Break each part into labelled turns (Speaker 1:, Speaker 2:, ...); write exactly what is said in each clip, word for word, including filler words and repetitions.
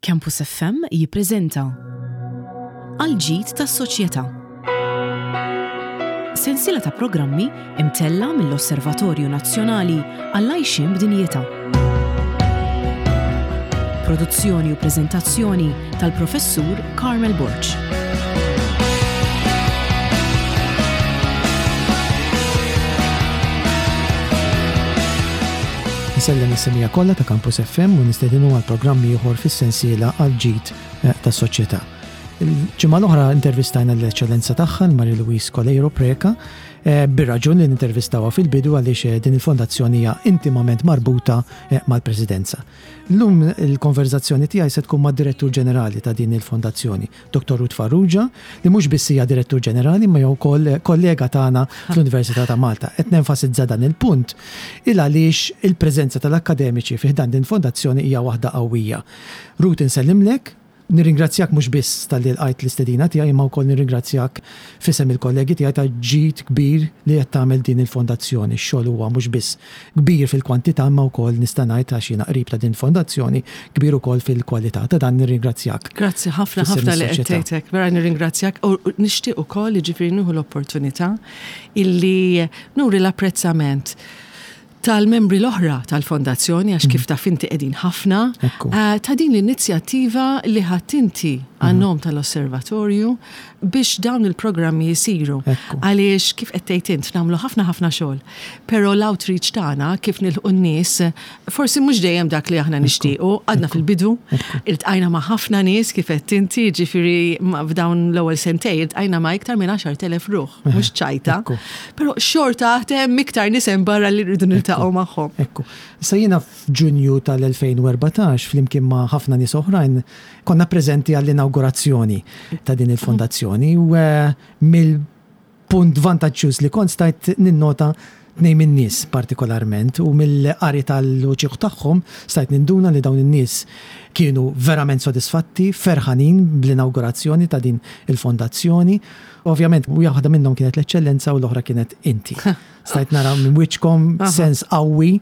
Speaker 1: Campus F M jippreżenta Għal-ġid tas-soċjetà. Sensiela ta' programmi imtella mill-Osservatorju Nazzjonali għall-Għajxien b'Dinjità. Produzzjoni u preżentazzjoni tal-Professur Carmel Borg.
Speaker 2: Nsellem is-semmiegħa kollha ta' Campus F M u nistedinu għal programmi ieħor fis-sensiela Għal-ġid eh, tas-soċjetà. Il-ġimgħa l-oħra intervistajna l-Eċċellenza tagħha, Marie Louise Coleiro Preca, eh, bir-raġun li nintervistawha fil-bidu għaliex eh, din il-fondazzjoni hija intimament marbuta mal-Presidenza. Llum il-konverzazzjoni tiegħi se tkun mad-Direttur Ġenerali ta' din il-fondazzjoni, Doktor Ruth Farrugia, li mhux biss hija Direttur Ġenerali ma jew wkoll kollega tagħna fl-Università ta' Malta. Qed nenfasizza dan il-punt il għaliex il-preżenza tal-akkademiċi fi ħdan din fondazzjoni hija waħda qawwija. Ruth, insellimlek. Nirringrazzjak mhux biss talli lqajt l-istedina tiegħi, imma wkoll nirringrazzjak f'isem il-kollegi tiegħi ta' ġid kbir li qed tagħmel din il-fondazzjoni. Ix-xogħol huwa mhux biss kbir fil-kwantità, imma wkoll nista' ngħid, għax jiena qrib ta' din fondazzjoni, kbir ukoll fil-kwalità. Ta' dan nirringrazzjak.
Speaker 3: Grazzi ħafna
Speaker 2: f'isem
Speaker 3: ħafna li qed
Speaker 2: is-soċjetà.
Speaker 3: tgħidlek. Vera nirringrazzjak u nixtieq ukoll, jiġifieri, nieħu l-opportunità illi nuri l-apprezzament tal-membri l-oħra tal-fondazzjoni, għax kif taf inti qegħdin ħafna,
Speaker 2: Ekku.
Speaker 3: eh, ta' din l-inizjattiva li ħadt inti għan-nom tal-osservatorju biex dawn il-programmi jisiru.
Speaker 2: Ekku.
Speaker 3: Għaliex kif qed tgħid int, nagħmlu ħafna ħafna xogħol. Però l-outreach tagħna, kif nilħqu n-nies, forsi mhux dejjem dak li aħna nixtiequ, għadna fil-bidu, iltqajna ma' ħafna nies, kif qed inti, ġifieri ma' f'dawn l-ewwel sentej iltqajna ma' iktar minn għaxart elef ruħ, mhux ċajta.
Speaker 2: Ekku.
Speaker 3: Però xorta hemm iktar nies hemm barra li rridu niltaqgħu magħhom.
Speaker 2: Ekku. Issa jiena f'Ġunju tal-elfejn u erbatax, flimkien ma' ħafna nies oħrajn, konna preżenti għall-inaugurazzjoni ta' din il-fondazzjoni u eh, mill-punt vantaġġjuż li kont stajt ninnota tnejn minn nies partikolarment u mill-qari tal-uċieħ tagħhom stajt ninduna li dawn in-nies kienu verament sodisfatti, ferħanin bl-inaugurazzjoni ta' din il-fondazzjoni. Ovvjament, waħda minnhom kienet l-Eċċellenza u l-oħra kienet inti. Stajt nara minn wiċċkom sens qawwi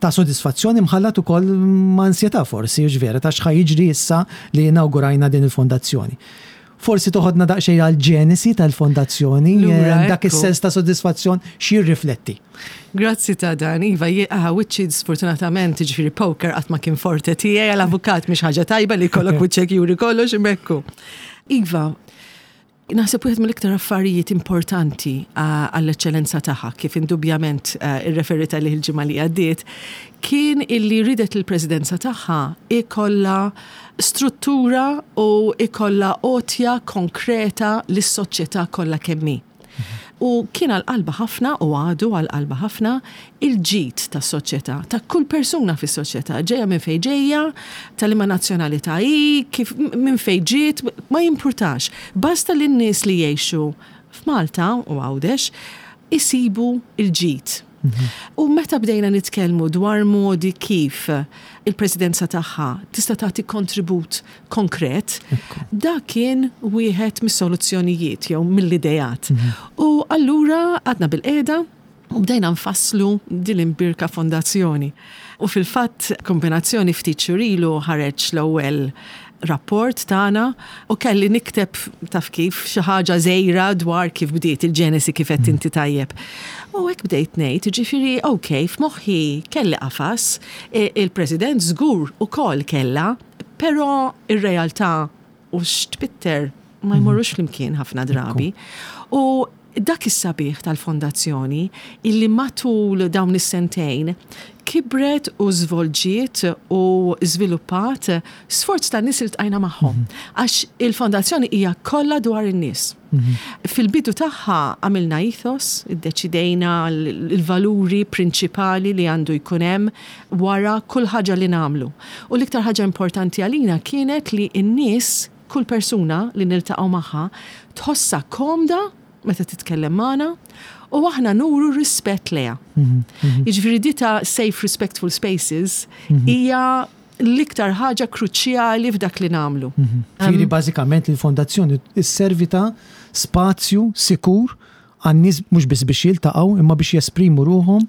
Speaker 2: ta' sodisfazzjoni mħallat ukoll ma' ansjetà forsi, hux vera, ta' x'ħa jiġri issa li inaugurajna din il-fondazzjoni. Forsi toħodna daqsxejn għal-ġenesi tal-fondazzjoni,
Speaker 3: Lura,
Speaker 2: eh, dak
Speaker 3: ekku.
Speaker 2: is-sens ta' sodisfazzjon x'jirrifletti?
Speaker 3: Grazzi ta' dan, Iva, ah, wiċċi sfortunatament, ġifieri, poker qatt ma kien forte tiegħi, għal-avukat mhix ħaġa tajba li jkollok wiċċek juri kollox imekku. Iva, naħseb wieħed mill-iktar affarijiet importanti ah, għall-Eċċellenza tagħha, kif indubjament ah, irreferita li l-ġimgħa li għaddiet, kien illi ridet il-presidenza tagħha ikolla struttura u ikolla għotja konkreta lis-soċjetà kollha kemm hi. U kien għal-qalba ħafna u għadu għal-qalba ħafna il-ġid ta' soċjetà, ta' kull persuna fis soċjetà ġeja minn fej ġeja, ta' liema nazzjonalità hi, kif minn fej ġiet, ma jimpurtax. Basta li n-nies li jgħixu f'Malta u Għawdex isibu il-ġid. U meta bdejna nitkellmu dwar modi kif il-presidenza tagħha tista' tagħti kontribut konkret, dak kien wieħed mis-soluzzjonijiet jew mill-idejat. U allura qgħadna bilqiegħda u bdejna nfasslu din l-imbierka fondazzjoni. U fil-fatt, kombinazzjoni, ftit xhur ilu ħareġ l-ewwel rapport tagħna u kelli nikteb, taf kif, xi ħaġa żgħira dwar kif bdiet il-ġenesi, kif qed inti tajjeb. U hekk bdejt ngħid, ġifieri, ok, f'moħħi kelli qafas, e- il-President żgur ukoll kellha, però ir-realtà u x'tpitter ma jmorrux flimkien ħafna drabi. U dak is-sabiħ tal-fondazzjoni illi matul dawn is-sentejn kibret u żvolġiet u żviluppat sforz ta' nies iltqajna magħhom. Għax il-fondazzjoni hija kollha dwar in-nies. Fil-bidu tagħha għamilna ethos, iddeċidejna l-valuri prinċipali li għandu jkun hemm wara kull ħaġa li nagħmlu. U l-iktar ħaġa importanti għalina kienet li n-nies, kull persuna li niltaqgħu magħha, tħossha komda meta titkellem magħna u aħna nuru rispett lejha. Jiġifieri di ta' safe respectful spaces hija l-iktar ħaġa kruċjali f'dak li nagħmlu.
Speaker 2: Ġifieri bażikament il-fondazzjoni isservi ta' spazju sikur għan-nies mhux biss biex jiltaqgħu imma biex jesprimu ruħhom.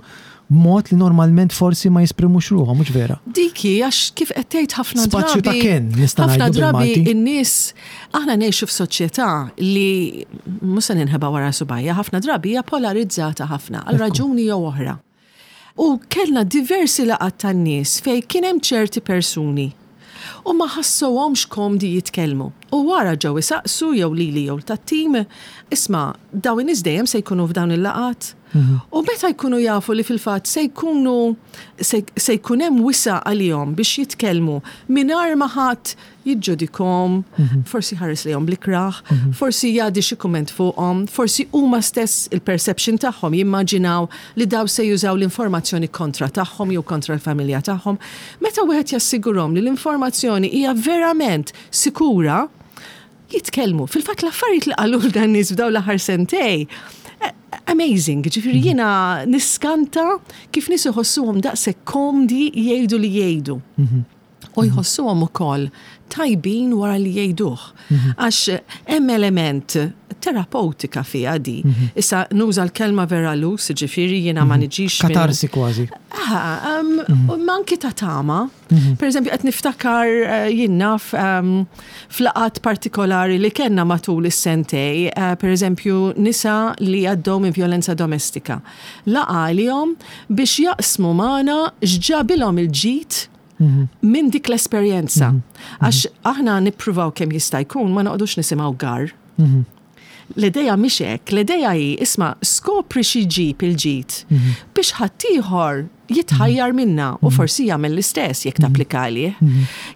Speaker 2: b'mod li normalment forsi ma jesprimux ruħhom, mhux vera?
Speaker 3: Diki, għax kif qed tgħid, ħafna
Speaker 2: Spazju ta'
Speaker 3: drabi.
Speaker 2: ken, nista'
Speaker 3: Ħafna
Speaker 2: ngħidu
Speaker 3: drabi
Speaker 2: bil-Malti.
Speaker 3: in-nies, aħna ngħixu f'soċjetà li mhux se ninħeba wara subgħajja, ħafna drabi hija polarizzata ħafna għal raġuni jew oħra. U kellna diversi laqgħat tan-nies fej kien hemm ċerti persuni u ma ħassowhomx komdi jitkellmu. U wara ġew isaqsu jew lili jew tat-tim, "Isma', dawn in-nies dejjem se jkunu f'dawn il-laqgħat?" U meta jkunu jafu li fil-fatt se jkunu se se jkun hemm wisa għalihom biex jitkellmu mingħajr ma ħadd jiġġudikahom, forsi ħares lejhom bl-ikrah, forsi jgħaddi xi kumment fuqhom, forsi huma stess il-perception tagħhom jimmaġinaw li daw se jużaw l-informazzjoni kontra tagħhom jew kontra l-familja tagħhom. Meta wieħed jassigurhom li l-informazzjoni hija verament sikura, jitkellmu. Fil-fatt l-affarijiet li qalu dan nies f'dawn l-aħħar sentejn, eh, amazing, ġifieri jiena niskanta kif nies iħossuhom daqshekk komdi jgħidu li jgħidu. U jħossuhom ukoll tajbin wara li jgħiduh. Għax hemm element terapeutika fiha di. Issa nuża l-kelma vera loose, ġifieri jiena ma niġix minn-
Speaker 2: Katarsi kważi.
Speaker 3: Ah, um, ma anki ta' tama. Per eżempju, qed niftakar eh, jien naf um, f'laqgħat partikolari li kellna matul is-sentejn, uh, per eżempju, nisa li għaddew minn violenza domestika. Laqgħa għalihom biex jaqsmu magħna x'ġabilhom il-ġid minn dik l-esperjenza. Għax aħna nippruvaw kemm jista' jkun ma noqogħdux nisimgħu gar. L-ideja mhix hekk, l-ideja hi, isma', skopri xi ġib il-ġid biex ħaddieħor jitħajjar minna u forsi jagħmel l-istess jekk tapplika għalih.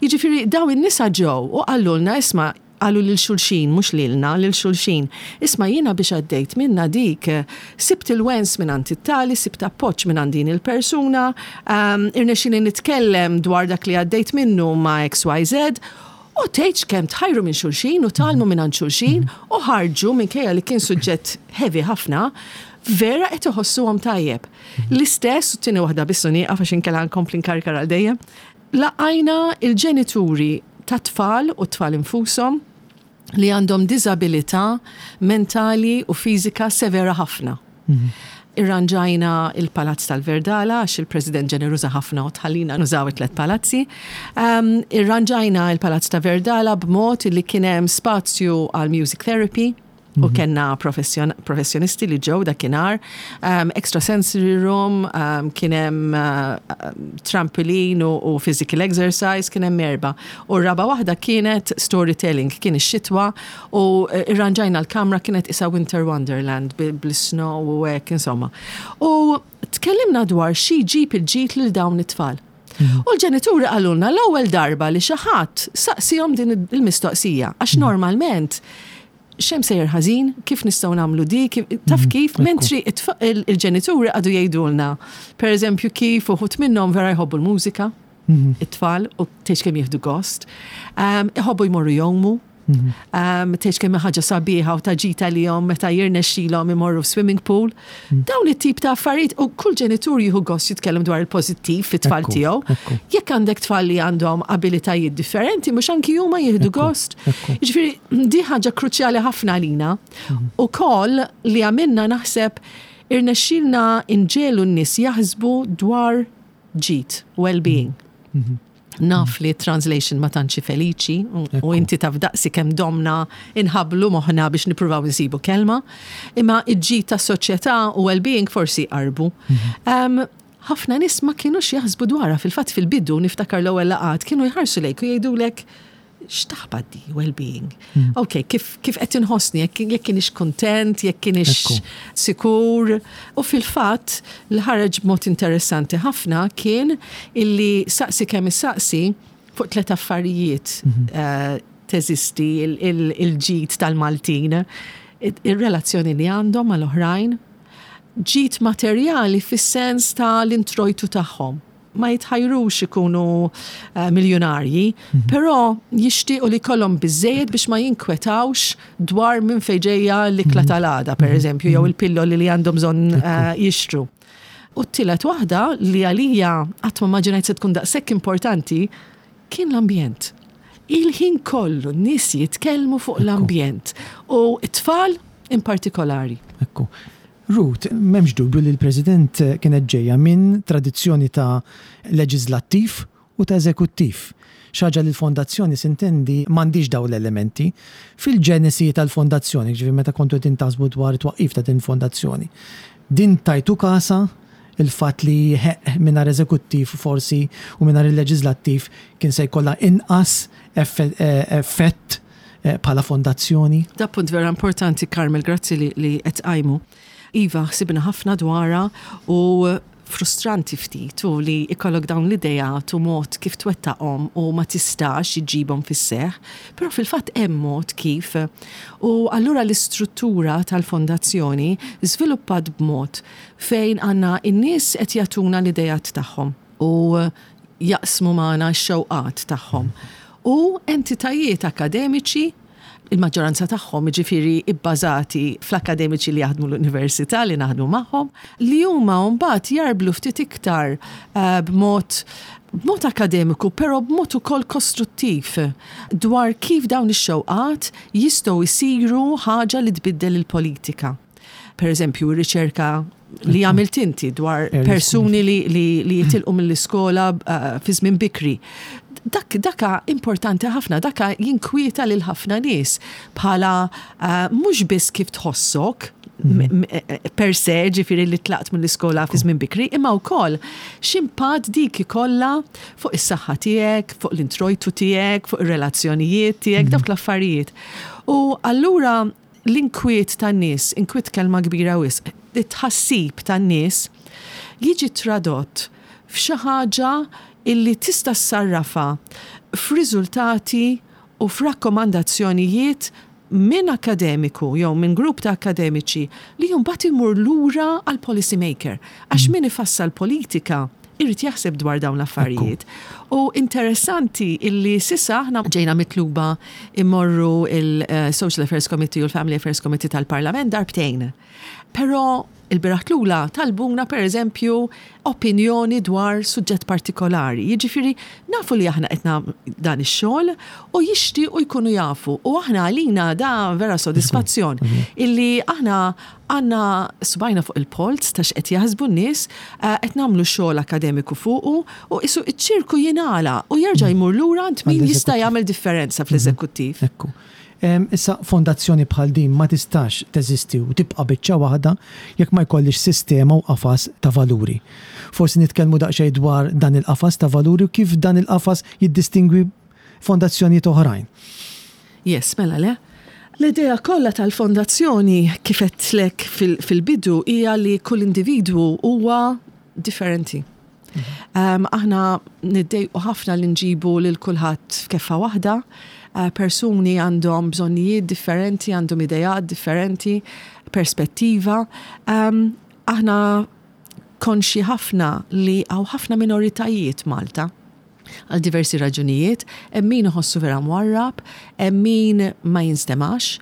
Speaker 3: Jiġifieri daw in-nisa ġew u qalulna, isma', qalu lil xulxin, mhux lilna, lil xulxin: "Isma', jiena biex għaddejt minna dik, sibt il-wens minn għand it-tali, sibt appoġġ minn għand din il-persuna, um, irnexxieli nitkellem dwar dak li għaddejt minnu ma' X Y Z" U tgħidx kemm tħajru minn xulxin u tgħallmu minn għand xulxin u ħarġu, minkejja li kien suġġett heavy ħafna, vera qed iħossuhom tajjeb. L-istess, u tieni waħda biss u nieqaf għax inkella nkompli nkarkar għal dejjem, laqajna il-ġenituri ta' tfal u tfal infushom li għandhom diżabilità mentali u fiżika severa ħafna. Irranġajna il-Palazz tal-Verdala, għax il-President ġeneruża ħafna u tħallina nużaw it-tlet palazzi. Um, irranġajna il-Palazz ta' Verdala b'mod li kien hemm spazju għal music therapy, u kellna professjon professjonisti li ġew dakinhar, um, extra sensory room, um, kien hemm uh, trampoline u, u physical exercise, kien hemm erba. U r-raba waħda kienet storytelling, kien ix-xitwa u eh, irranġajna l-kamra, kienet isa Winter Wonderland bil-snow u hekk insomma. U tkellimna dwar xi jġib il-ġid lil dawn it-tfal. U l-ġenituri qalulna l-ewwel darba li xi ħadd saqsihom din il-mistoqsija, għax normalment x'hemm sejjer ħażin, kif nistgħu nagħmlu di, kif, taf kif, mentri it-tfa- il- il-ġenituri għadu jgħidulna, per eżempju, kif uħud minnhom vera jħobbu l-mużika, it-tfal, u tgħidx kemm jieħdu gost, um, iħobbu jmorru jgħumu, um, tgħidx kemm ħaġa sabiħa u ta' ġid għalihom meta jirnexxilhom imorru swimming pool. Dawn it-tip ta' affarijiet, u kull ġenitur jieħu gost jitkellem dwar il-pożittiv fit-tfal
Speaker 2: Ekku,
Speaker 3: tiegħu.
Speaker 2: ekku.
Speaker 3: Jekk għandek tfal li għandhom abilitajiet differenti, mhux anki huma jieħdu gost?
Speaker 2: Ekku.
Speaker 3: Jiġifieri di ħaġa kruċjali ħafna għalina. U koll li għamilna, naħseb irnexxilna inġegħlu n-nies jaħsbu dwar ġid, well-being. Naf li translation ma tantx feliċi u- u inti taf daqsi kemm domna inħablu moħna biex nippruvaw nsibu kelma, imma id-ġid ta' soċjetà u well-being forsi qarbu. Um, ħafna nies ma kienux jaħsbu dwarha. Fil-fatt fil-bidu niftakar l-ewwel laqgħat kienu jħarsu lejk u jgħidulek, "X'taħbat di well-being? Ok, kif, kif qed inħossni, jekk jekk kienix kontent, jekk kienix
Speaker 2: Ekku.
Speaker 3: sikur?" U fil-fatt li ħareġ b'mod interessanti ħafna kien illi saqsi kemm issaqsi fuq tliet affarijiet eh, teżisti il- il- il-ġid tal-Maltin: il-relazzjoni li għandhom mal-oħrajn, ġid materjali fis-sens ta' l-introjtu tagħhom. Ma jitħajrux ikunu uh, miljonarji, però jixtiequ li jkollhom biżejjed biex ma jinkwetawx dwar minn fejn ġejja l-ikla tal-għada, per eżempju, jew il-pilloli li għandhom bżonn uh, jixtru. U t-tielet waħda, li għalija qatt ma immaġinajt se tkun daqshekk importanti, kien l-ambjent. Il-ħin kollu n-nies jitkellmu fuq l-ambjent u t-tfal in partikolari.
Speaker 2: Ekku. Ruth, m'hemmx dubju li l-President kienet ġejja minn tradizzjoni ta' leġislattiv u ta' eżekuttiv. Xi ħaġa li l-fondazzjoni, s'intendi, m'għandhiex daw l-elementi. Fil-ġenesi tal-fondazzjoni, ġifieri meta kontu taħsbu dwar twaqqif ta' din fondazzjoni, din tajtu kasha il-fatt li mingħajr eżekuttiv forsi u mingħajr il-leġislattiv kien se jkollha inqas effett eh, bħala fondazzjoni?
Speaker 3: Da punt vera importanti, Carmel, grazzi li, li qed tqajmu. Iva, ħsibna ħafna dwarha u frustranti ftit u li ikollok dawn l-idejat u mod kif twettaqhom u ma tistax iġibhom fis-seħ, però fil-fatt hemm mod kif. U allura l-istruttura tal-fondazzjoni żviluppat b'mod fejn għandna in-nies qed jagħtuna l-idejat tagħhom u jaqsmu magħna x-xewqat tagħhom. U entitajiet akademiċi, il-maġġoranza tagħhom jiġifieri ibbażati fl-akademiċi li jaħdmu l-università li naħdmu magħhom, li huma mbagħad jarblu ftit iktar uh, b'mod b'mod akademiku, però b'mod ukoll kostruttiv dwar kif dawn ix-xewqat jistgħu jsiru ħaġa li tbiddel il-politika. Per eżempju, riċerka li għamilt inti dwar persuni li, li, li jitilqu mill-iskola uh, fi żmien bikri. Dak, daka importanti ħafna, daka jinkwieta lil ħafna nies bħala uh, mhux biss kif tħossok mhm. e, e, per se, ġifieri li tlaqt mill-iskola fi żmien bikri, imma wkoll x'impatt dik ikollha fuq is-saħħa tiegħek, fuq l-introjtu tiegħek, fuq ir-relazzjonijiet tiegħek, mhm. dawk l-affarijiet. U allura l-inkwiet tan-nies, inkwiet kelma kbira wisq, it-tħassib tan-nies jiġi tradott f'xi ħaġa illi tista' ssarrafha f'riżultati u f'rakkomandazzjonijiet minn akademiku jew minn grupp ta' akademiċi li mbagħad imur lura għal policy maker. Għax mm. min ifassal politika irid jaħseb dwar dawn l-affarijiet. U interessanti illi s'issa aħna ġejna mitluba immorru il-Social Affairs Committee u l-Family Affairs Committee tal-Parlament darbtejn. Però il-bieraħ tlula talbuna, per eżempju, opinjoni dwar suġġett partikolari. Jiġifieri nafu li aħna qed dan ix-xogħol u jixtiequ jkunu jafu. U aħna għalina da vera sodisfazzjon mhm. illi aħna għandna subgħajna fuq il-polz ta' x'qed jaħsbu n-nies, eh, qed nagħmlu xogħol akademiku fuqu u isu iċ-ċirku jingħala u jerġa' mhm. jmur lura għand min jista' jagħmel differenza fl-eżekuttiv.
Speaker 2: Ekku. Issa, fondazzjoni bħal din ma tistax teżisti u tibqa' biċċa waħda jekk ma jkollix sistema u qafas ta' valuri. Forsi nitkellmu daqsxejn dwar dan il-qafas ta' valuri u kif dan il-qafas jiddistingwi fondazzjonijiet oħrajn.
Speaker 3: Yes, mela le. L-idea kollha tal-fondazzjoni, kif għedtlek fil-bidu, hija li kull individwu huwa differenti. Um, aħna niddejqu ħafna li nġibu lil kulħadd f'keffa waħda. Uh, persuni għandhom bżonnijiet differenti, għandhom idejat differenti, perspettiva. Um, aħna konxi ħafna li hawn ħafna minoritajiet Malta għal diversi raġunijiet, hemm min iħossu vera mwarrab, hemm min ma jinstemax,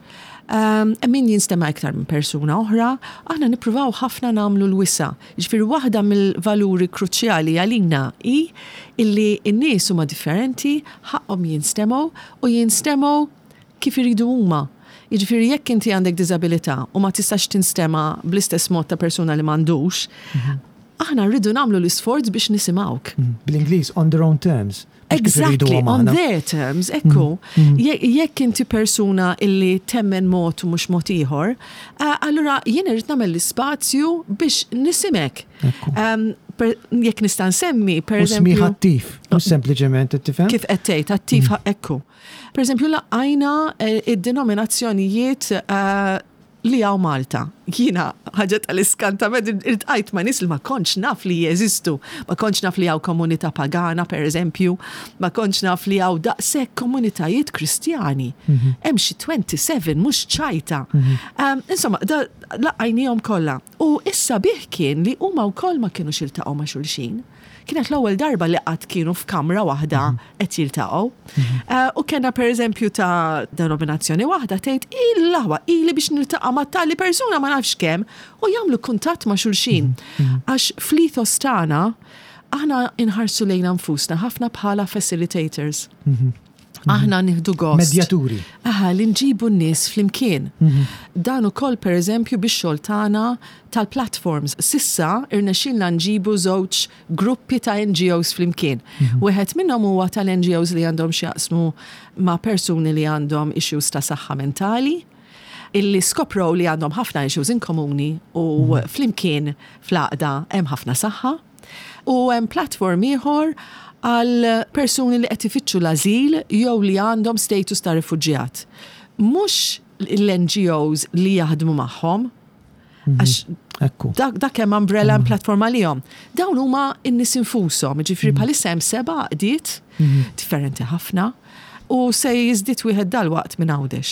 Speaker 3: um, hemm min jinstema iktar minn persuna oħra, aħna nippruvaw ħafna nagħmlu l-wisa. Ġifieri waħda mill-valuri kruċjali għalina hi illi n-nies huma differenti, ħaqhom jinstemgħu u jinstemgħu kif iridu huma. Jiġifieri jekk inti għandek diżabilità u ma tistax tinstema bl-istess mod ta' persuna li m'għandux, mhm. aħna rridu nagħmlu l-isforz biex nisimgħuk.
Speaker 2: Mhm. Bl-Ingliż, on their own terms.
Speaker 3: Exactly, on their terms, ekku. Mm. Jekk inti persuna illi temmen mod u mhux mod ieħor, eh, allura jien irrid nagħmel l-ispazju biex nisimek. Um, jekk nista' nsemmi, per eżempju.
Speaker 2: Smigħ attiv, mhux sempliċement tifhem.
Speaker 3: Kif qed tgħid, attiv mm. ekku. Per eżempju, laqajna eh, id-denominazzjonijiet eh, li hawn Malta. Jiena ħaġa tal-iskantament, iltqajt ma' nies li ma kontx naf li jeżistu. Ma kontx naf li hawn komunità pagana, per eżempju, ma kontx naf li hawn daqshekk komunitajiet Kristjani. Mhm. Hemm xi twenty-seven, mhux ċajta. Mhm. Um, insomma, da laqajnihom kollha. U issa bih kien li huma wkoll ma kienux iltaqgħu ma' xulxin. Kienet l-ewwel darba li qatt kienu f'kamra waħda mhm. qed jiltaqgħu. Mhm. Eh, u kellna, pereżempju, ta' denominazzjoni waħda tgħid, "Il-laħwa ili biex niltaqa' ma' tali persuna ma nafx kemm", u jagħmlu kuntatt ma' xulxin. Mhm. Għax fl-ethos tagħna aħna inħarsu lejna nfusna ħafna bħala facilitators. Aħna nieħdu gost.
Speaker 2: Medjaturi.
Speaker 3: Aha, li nġibu n-nies flimkien. Dan ukoll pereżempju bix-xogħol tagħna tal-platforms. S'issa irnexxilna nġibu żewġ gruppi ta' N G Os flimkien. Wieħed minnhom huwa tal-N G Os li għandhom x'jaqsmu ma' persuni li għandhom issues ta' saħħa mentali, illi skoprow li għandhom ħafna issues in komuni u flimkien fl-għaqda hemm ħafna saħħa. U hemm platform ieħor għal persuni li qed ifittxu l-azil jew li għandhom status ta' rifuġjat. Mhux l-N G Os li jaħdmu magħhom, għax
Speaker 2: Ekku.
Speaker 3: dak, dak hemm umbrella mm. platform għalihom. Dawn huma n-nies infushom, ġifieri bħalissa hemm seba' għaqdiet differenti ħafna u se jiżdied wieħed dalwaqt minn Għawdex.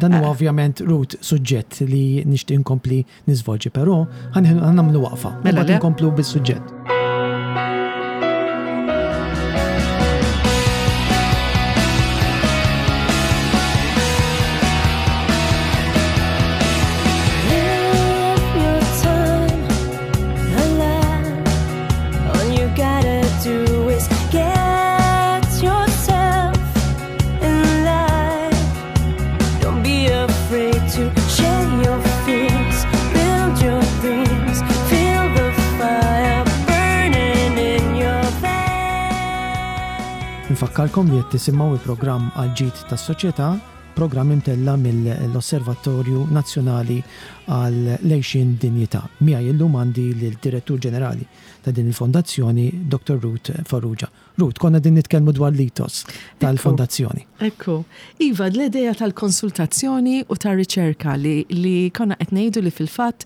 Speaker 2: Dan huwa ovvjament, Ruth, suġġett li nixtieq inkompli niżvolġi, però ħa nagħmlu waqfa.
Speaker 3: Mela
Speaker 2: Mbagħad
Speaker 3: le.
Speaker 2: inkomplu bis-suġġett.
Speaker 4: Live your time alive. All you gotta do is get yourself in line. Don't be afraid to share your fears, build your dreams, feel the fire burning in your veins.
Speaker 2: Nfakkarkom li qed tisimgħu il-programm Għall-Ġid tas-Soċjetà, programm imtella mill-Osservatorju Nazzjonali għall-Għixien Dinjità. Miegħi illum għandi l-Direttur Ġenerali ta' din il-fondazzjoni, Doctor Ruth Farrugia. Ruth, konna din nitkellmu dwar l-ethos tal-fondazzjoni.
Speaker 3: Ekku. Iva, l-ideja tal-konsultazzjoni u tal-riċerka li, li konna qed ngħidu li fil-fatt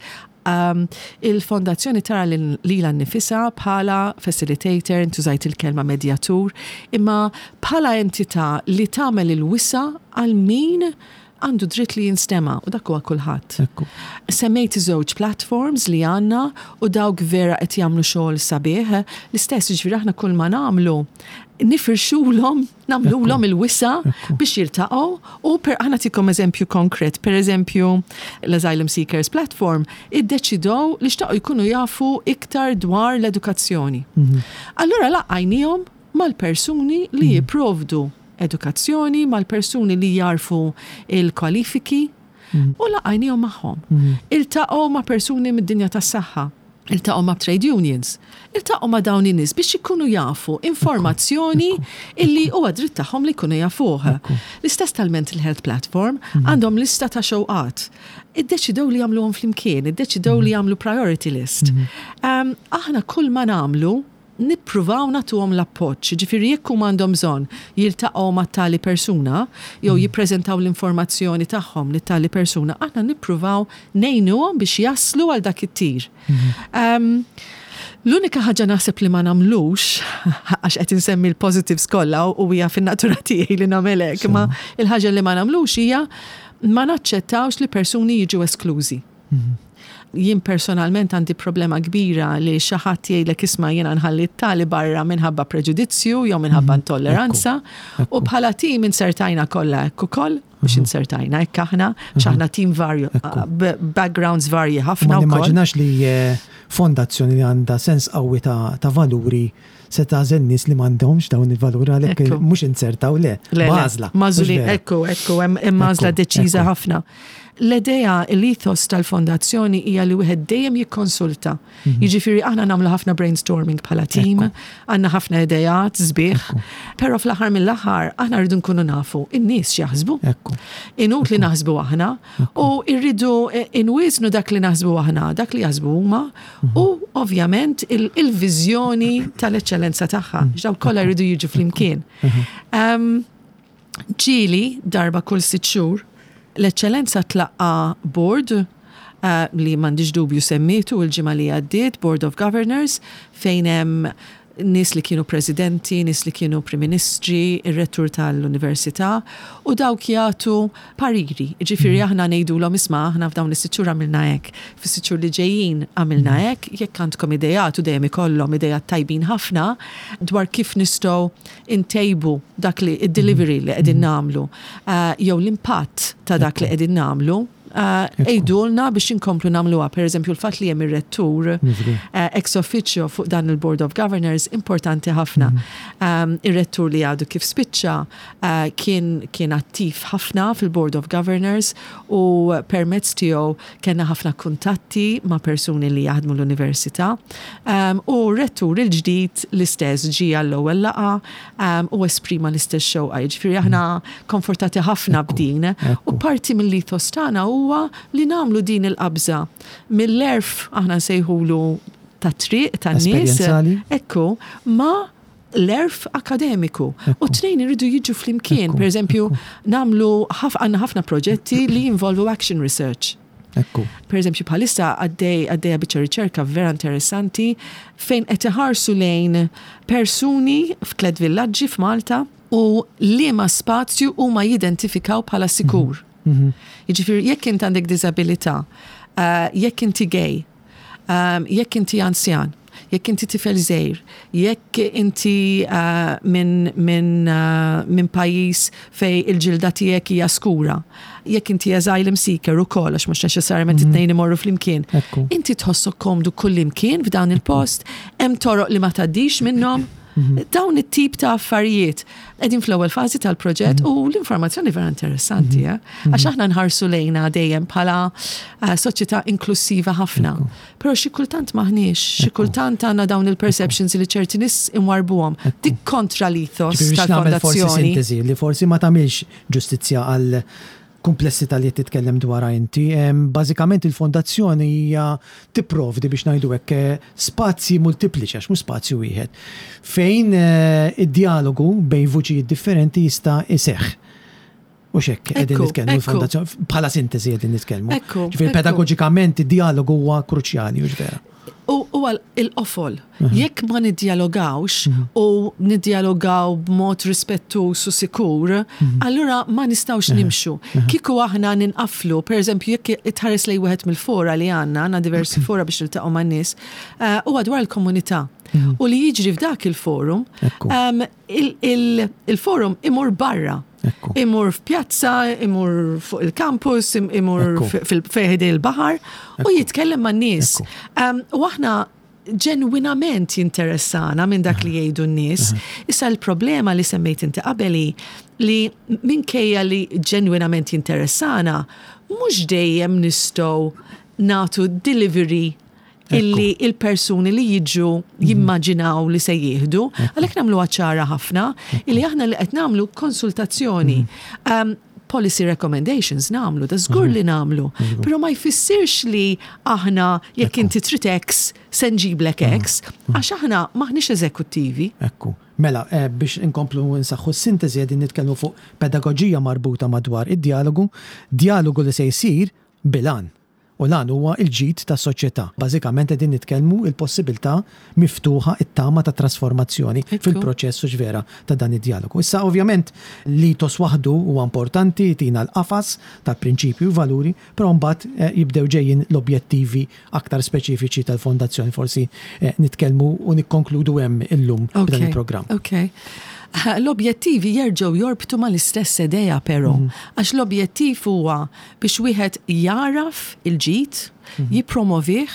Speaker 3: um, il-fondazzjoni tara lilha nnifisha bħala facilitator, intużajt il-kelma medjatur, imma bħala entità li tagħmel il-wisa għal min għandu dritt li jinstema u dak huwa kulħadd.
Speaker 2: Ekku.
Speaker 3: Semmejt żewġ platforms li għandna u dawk vera qed jagħmlu xogħol sabiħ. L-istess, ġifieri aħna kull ma nagħmlu nifirxulhom, nagħmlulhom il-wisa biex jiltaqgħu u per aħna ntikom eżempju konkret, per eżempju l-Asylum Seekers Platform iddeċidew li xtaqgħu jkunu jafu iktar dwar l-edukazzjoni. Allura laqqajnihom mal-persuni li jipprovdu edukazzjoni, mal-persuni li jarfu il-kwalifiki u laqqajnihom magħhom. Iltaqgħu ma' persuni mid-dinja tas-saħħa, iltaqgħu ma' trade unions, iltaqgħu ma' dawn in-nies biex ikunu jafu informazzjoni illi huwa dritt tagħhom li jkunu jafuh. L-istess tal-Mental Health Platform għandhom lista ta' xewqat. Iddeċidew li jagħmluhom flimkien, iddeċidew li jagħmlu priority list. Um, aħna kull ma nagħmlu nippruvaw nagħtuhom l-appoġġ, ġifieri jekk huma għandhom bżonn jiltaqgħu ma' tali persuna jew jippreżentaw l-informazzjoni tagħhom li tali persuna, aħna nippruvaw ngħinuhom biex jaslu għal dak it-tir. Um, L-unika ħaġa naħseb li ma nagħmlux, għax qed insemmi l-positives kollha u hija fin-natura tiegħi li nagħmel hekk, ma il-ħaġa li ma nagħmlux hija ma naċċettawx li persuni jiġu esklużi. Jien personalment għandi problema kbira li xi ħadd jgħidlek, "Isma', jiena nħalli tali barra minħabba preġudizzju jew minħabba intolleranza", u bħala tim insertajna kollha hekk ukoll, mhux insertajna hekk aħna, aħna tim varju, b- backgrounds varji ħafna
Speaker 2: Ma
Speaker 3: wkoll.
Speaker 2: nimmaġinax li eh, fondazzjoni li għandha sens qawwi ta' ta' valuri se tagħżel nies li m'għandhomx dawn il-valuri, għalhekk
Speaker 3: Ekku.
Speaker 2: mhux insertaw, le,
Speaker 3: Le, le,
Speaker 2: għażla.
Speaker 3: Magħżulin,
Speaker 2: Mhux vera.
Speaker 3: ekku, ekku, hemm hemm għażla
Speaker 2: Ekku,
Speaker 3: deċiża
Speaker 2: ekku.
Speaker 3: ħafna. L-idea, l-ethos tal-fondazzjoni hija li wieħed dejjem jikkonsulta. Jiġifieri aħna nagħmlu ħafna brainstorming bħala team, għandna ħafna idejat sbieħ, però fl-aħħar mill-aħħar aħna rridu nkunu nafu in-nies x'jaħsbu.
Speaker 2: Ekku.
Speaker 3: Inut li naħsbu aħna u rridu inwiżnu dak li naħsbu aħna, dak li jaħsbu huma u ovvjament il- il-viżjoni tal-eċċellenza tagħha. Dawn kollha jridu jiġu flimkien. Um, Ġieli darba kull sitt xhur l-eċċellenza tlaqqa board uh, li m'għandix dubju semmietu il-ġimgħa li għaddiet, Board of Governors, fejn hemm nies li kienu presidenti, nies li kienu prim ministri, ir-rettur tal-università, u dawk jagħtu pariri. Ġifieri aħna ngħidulhom, "Isma', aħna f'dawn is-sitt xhur għamilna hekk, fis-sitt xhur li ġejjin għamilna hekk, jekk għandkom idejat", u dejjem ikollhom idejat tajbin ħafna dwar kif nistgħu intejbu dak li id-delivery li qegħdin nagħmlu, uh, jew l-impatt ta' dak li qegħdin nagħmlu. Għidulna biex inkomplu nagħmluha. Per eżempju, l-fatt li hemm ir-rettur ex officio fuq dan il-Board of Governors importanti ħafna. Mhm. Ir-rettur li għadu kif spiċċa kien kien attiv ħafna fil-Board of Governors u permezz tiegħu kellna ħafna kuntatti ma' persuni li jaħdmu l-università. U rettur il-ġdid l-istess ġie għall-ewwel laqgħa u esprima l-istess xewqa. Jiġifieri aħna komfortati ħafna b'din. U parti mill-ethos tagħna huwa li nagħmlu din il-qabża mill-għerf, aħna nsejħulu, ta' triq tan-nies. Ekku, ma' l-għerf akademiku. U t-tnejn iridu jiġu flimkien. Per eżempju, nagħmlu għandna ħafna proġetti li jinvolvu action research.
Speaker 2: Ekku.
Speaker 3: Per eżempju, bħalissa għaddej għaddejja biċċa riċerka vera interessanti fejn qed iħarsu lejn persuni f'tliet villaġġi f'Malta u liema spazju huma jidentifikaw bħala sikur.
Speaker 2: Mhm.
Speaker 3: Jiġifieri jekk int għandek diżabilità, uh, jekk inti gay, um, jekk inti anzjan, jekk inti tifel żgħir, jekk inti uh, minn min, uh, min pajjiż fej il-ġilda tiegħek hija skura, jekk inti asylum seeker ukoll, għax mhux neċessarjament
Speaker 2: Mhm.
Speaker 3: it-tnejn imorru flimkien.
Speaker 2: Ekku.
Speaker 3: Inti tħossok komdu kull imkien f'dan il-post, hemm toroq li ma tgħaddix minnhom.
Speaker 2: Mhm.
Speaker 3: Dawn it-tip ta' affarijiet. Qegħdin fl-ewwel fażi tal-proġett u l-informazzjoni vera interessanti, eh? Għax aħna nħarsu lejna dejjem bħala eh, soċjetà inklusiva ħafna. Però xi kultant maħniex, xi kultant għandna dawn il-perceptions li ċerti nies imwarbuhom. Dik kontra l-ethos
Speaker 2: Ġifieri biex nagħmel forsi
Speaker 3: tal-fondazzjoni.
Speaker 2: sintesi li forsi ma tagħmilx ġustizzja għal komplessità li qed titkellem dwarha inti. Em, Bażikament il-fondazzjoni hija tipprovdi, biex ngħidu hekk, eh, spazji multipliċi, għax mhux spazju wieħed, fejn eh, id-dialogu bejn vuċijiet differenti jista' iseħħ. U hekk qegħdin
Speaker 3: Ekku,
Speaker 2: nitkellmu
Speaker 3: ekku.
Speaker 2: l-fondazzjoni bħala sintesi qegħdin nitkellmu.
Speaker 3: Ekku,
Speaker 2: Ġifieri
Speaker 3: ekku.
Speaker 2: pedagogikament id-dialogu huwa kruċjali, hux vera?
Speaker 3: U huwa il-qofol. Jekk ma niddialogawx u niddialogaw b'mod rispettuż u sikur, allura ma nistgħux nimxu. Kieku aħna ninqaflu, per eżempju, jekk itħares lej wieħed mill-fora li għandna, għandna diversi fora biex niltaqgħu man-nies, eh, huwa dwar il-komunità. U li jiġri f'dak il-forum,
Speaker 2: Ekku.
Speaker 3: um, il- il- il-forum imur barra.
Speaker 2: Ekku.
Speaker 3: Imur f'pjazza, imur fuq il-campus, im- imur
Speaker 2: Ekku.
Speaker 3: fil- fejn il-baħar u jitkellem man nies.
Speaker 2: Ekku.
Speaker 3: Um, u aħna ġenwinament jinteressana minn dak li jgħidu n-nies. Issa l-problema li semmejt inti qabeli li minkejja li ġenwinament jinteressana, mhux dejjem nistgħu nagħtu delivery illi il-persuni li jiġu jimmaġinaw li se jieħdu, għalhekk nagħmlu ċara ħafna illi aħna li qed nagħmlu konsultazzjoni. Um, policy recommendations nagħmlu, da żgur li nagħmlu. Però ma jfissirx li aħna jekk inti trid X se nġiblek X, għax aħna maħniex eżekuttivi.
Speaker 2: Ekku. Mela, eh, biex inkomplu nsaħħu s-sintesi, qegħdin nitkellmu fuq pedagoġija marbuta madwar id-dialogu, dialogu li se jsir bil-għan. U l-għan huwa il-ġid ta' soċjetà. Bażikament qegħdin nitkellmu il-possibilità miftuħa, it-tama ta' trasformazzjoni
Speaker 3: Ekku.
Speaker 2: fil-proċess u vera ta' dan id-dialogu. Issa ovvjament l-ethos waħdu huwa importanti, tina l-qafas tal-prinċipju u valuri, però mbagħad eh, jibdew ġejjin l-objettivi aktar speċifiċi tal-fondazzjoni. Forsi eh, nitkellmu u nikkonkludu hemm illum b'dan il-programm.
Speaker 3: Ok. L-objettivi jerġgħu jorbtu mal-istess idea però, għax l-objettiv huwa biex wieħed jaraf il-ġid, jippromovih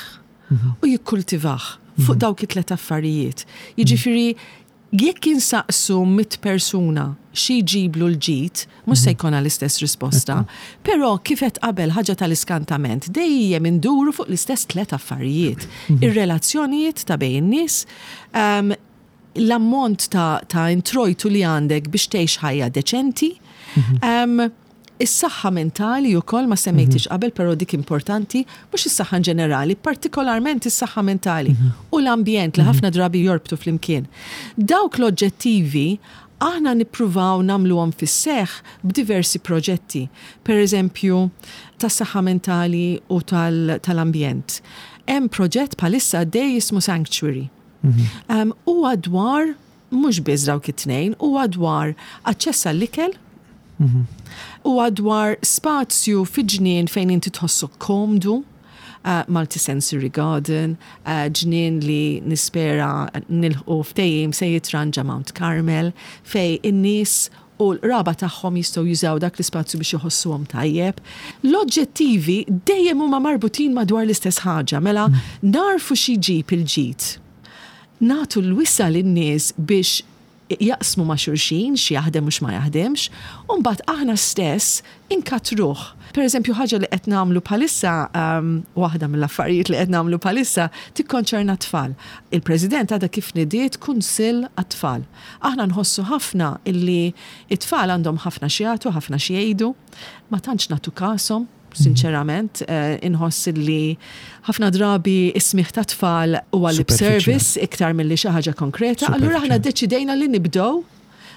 Speaker 3: u jikkultivah fuq dawk it-tlet affarijiet. Jiġifieri jekk insaqsu mitt persuna xi jġiblu l-ġid, mhux se jkollna l-istess risposta, però kif qed qabel, ħaġa tal-iskantament, dejjem induru fuq l-istess tlet affarijiet. Ir-relazzjonijiet ta' bejn in-nies, um, l-ammont ta', ta' introjtu li għandek biex tgħix ħajja deċenti, um, is-saħħa mentali wkoll ma semmejtix qabel, però dik importanti, mhux is-saħħa in ġenerali, partikolarment is-saħħa mentali u l-ambjent li ħafna drabi jorbtu flimkien. Dawk l-oġġettivi aħna nippruvaw nagħmluhom fis-seħ b'diversi proġetti. Per eżempju, tas-saħħa mentali u tal- tal-ambjent. Hemm proġett bħalissa għaddej jismu Sanctuary. Um, huwa dwar mhux biss dawk it-tnejn, huwa dwar aċċess għall-ikel, huwa dwar spazju fi ġnien fejn inti tħossok komdu, uh, multisensory garden, uh, ġnien li nispera nilħqu ftehim se jitranġa Mount Carmel, fej in-nies u l-qraba tagħhom jistgħu jużaw dak l-ispazju biex iħossuhom tajjeb. L-oġġettivi dejjem huma marbutin madwar l-istess ħaġa, mela narfu xi jġib il-ġid. Nagħtu l-wisa' lin-nies biex jaqsmu ma' xulxin, xi jaħdem u x'ma jaħdemx, u mbagħad aħna stess inkatruh. Per eżempju, ħaġa li qed nagħmlu bħalissa, um, waħda mill-affarijiet li qed nagħmlu bħalissa tikkonċerna tfal. Il-President għadha kif nidiet kunsill għat-tfal. Aħna nħossu ħafna illi it-tfal għandhom ħafna xi jagħtu, ħafna xi jgħidu, ma tantx nagħtu kashom, sinċerament, eh, inħoss li ħafna drabi is-smigħ ta' tfal huwa lip
Speaker 2: Superficial.
Speaker 3: service iktar milli xi ħaġa konkreta. Allura aħna deċidejna li nibdew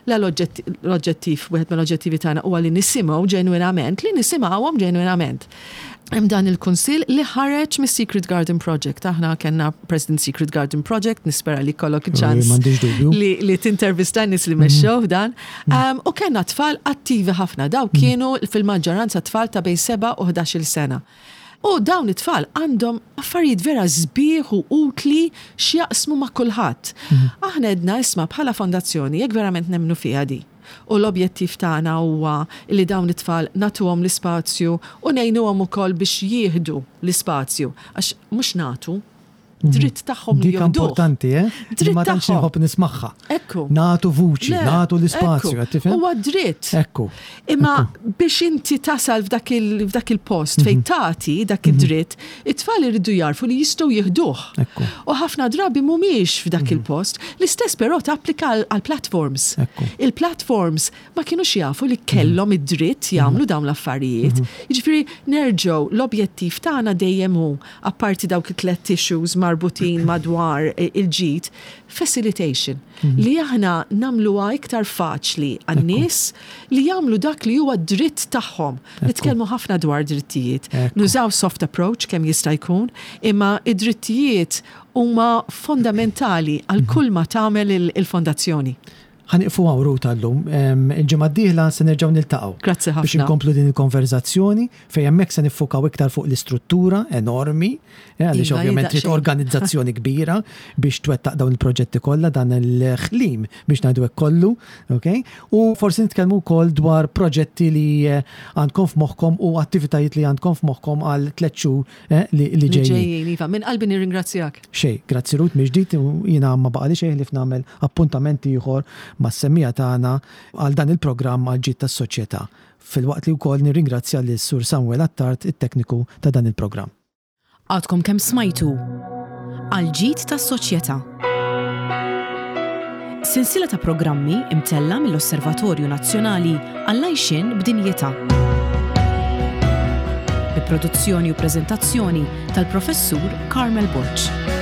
Speaker 3: la l-oġġettiv, wieħed mill-oġġettivi tagħna huwa li nisimgħu ġenwinament, li nisimgħuhom ġenwinament. Hemm dan il-kunsill li ħareġ mis-Secret Garden Project. Aħna kellna President Secret Garden Project, nispera li kollok ċans
Speaker 2: M'għandix dubju.
Speaker 3: li, li tintervista nies li mexxew f'dan. Um, u kellna tfal attivi ħafna, daw kienu fil-maġġoranza tfal ta' bejn seba' u ħdax-il sena. U dawn it-tfal għandhom affarijiet vera sbieħ u utli x'jaqsmu ma' kulħadd. Aħna għedna, isma', bħala fondazzjoni, jekk verament nemnu fiha di. U l-objettiv tagħna huwa li dawn it-tfal nagħtuhom l-ispazju u ngħinuhom ukoll biex jieħdu l-ispazju, għax mhux nagħtu, dritt tagħhom li
Speaker 2: Dik
Speaker 3: jieħduh.
Speaker 2: importanti, eh?
Speaker 3: Dritt
Speaker 2: Ma tantx
Speaker 3: tagħhom.
Speaker 2: nħobb nismagħha.
Speaker 3: Ekku.
Speaker 2: Nagħtu vuċi,
Speaker 3: Le,
Speaker 2: nagħtu l-ispazju,
Speaker 3: ekku.
Speaker 2: qed tifhem?
Speaker 3: Huwa dritt.
Speaker 2: Ekku.
Speaker 3: Imma biex inti tasal f'dak il- f'dak il-post fejn tagħti dak id-dritt, it-tfal iridu jarfu li jistgħu jieħduh.
Speaker 2: Ekku.
Speaker 3: U ħafna drabi mhumiex f'dak il-post. L-istess però tapplika għal- għal platforms.
Speaker 2: Ekku.
Speaker 3: Il-platforms ma kienux jafu li kellhom id-dritt jagħmlu dawn l-affarijiet. Jiġifieri nerġgħu, l-objettiv tagħna dejjem hu, apparti dawk it-tlet issues marbutin madwar il-ġid, facilitation, li aħna nagħmluha iktar faċli għan-nies li jagħmlu dak li huwa dritt tagħhom. Nitkellmu ħafna dwar drittijiet.
Speaker 2: Ekku.
Speaker 3: Nużaw soft approach kemm jista' jkun, imma id-drittijiet huma fondamentali għal kull ma tagħmel il- il-fondazzjoni.
Speaker 2: Ħa nieqfu hawn, Ruth, għal-lum. Il-ġimgħa d-dieħla se nerġgħu niltaqgħu.
Speaker 3: Grazzi ħafna.
Speaker 2: Biex inkomplu din il-konverzazzjoni fejn hemmhekk se niffukaw iktar fuq l-istruttura enormi, eh, għaliex
Speaker 3: Iva,
Speaker 2: ovvjament trid
Speaker 3: daqsxejn.
Speaker 2: organizzazzjoni kbira biex twettaq dawn il-proġetti kollha, dan il-ħlim biex ngħidu hekk kollu, ok? U forsi nitkellmu wkoll dwar proġetti li eh, għandkom f'moħħkom u attivitajiet li għandkom f'moħħkom għal tliet xhur eh, li li
Speaker 3: Li
Speaker 2: ġejjin.
Speaker 3: ġejjin, iva, minn qalbi nirringrazzjak.
Speaker 2: Xej, grazzi Ruth mill-ġdid, u jiena ma baqali xejn li nagħmel appuntamenti ieħor mas-semmiegħa tagħna għal dan il-programm Għall-Ġid tas-Soċjetà. Filwaqt li wkoll nirringrazzja lis Sur Samuel Attard, it-tekniku ta' dan il-programm.
Speaker 1: Għadkom kemm smajtu Għall-Ġid tas-Soċjetà. Sensiela ta' programmi imtella mill-Osservatorju Nazzjonali għall-Għajxien b'Dinjità. Bi produzzjoni u preżentazzjoni tal-Professur Carmel Borg.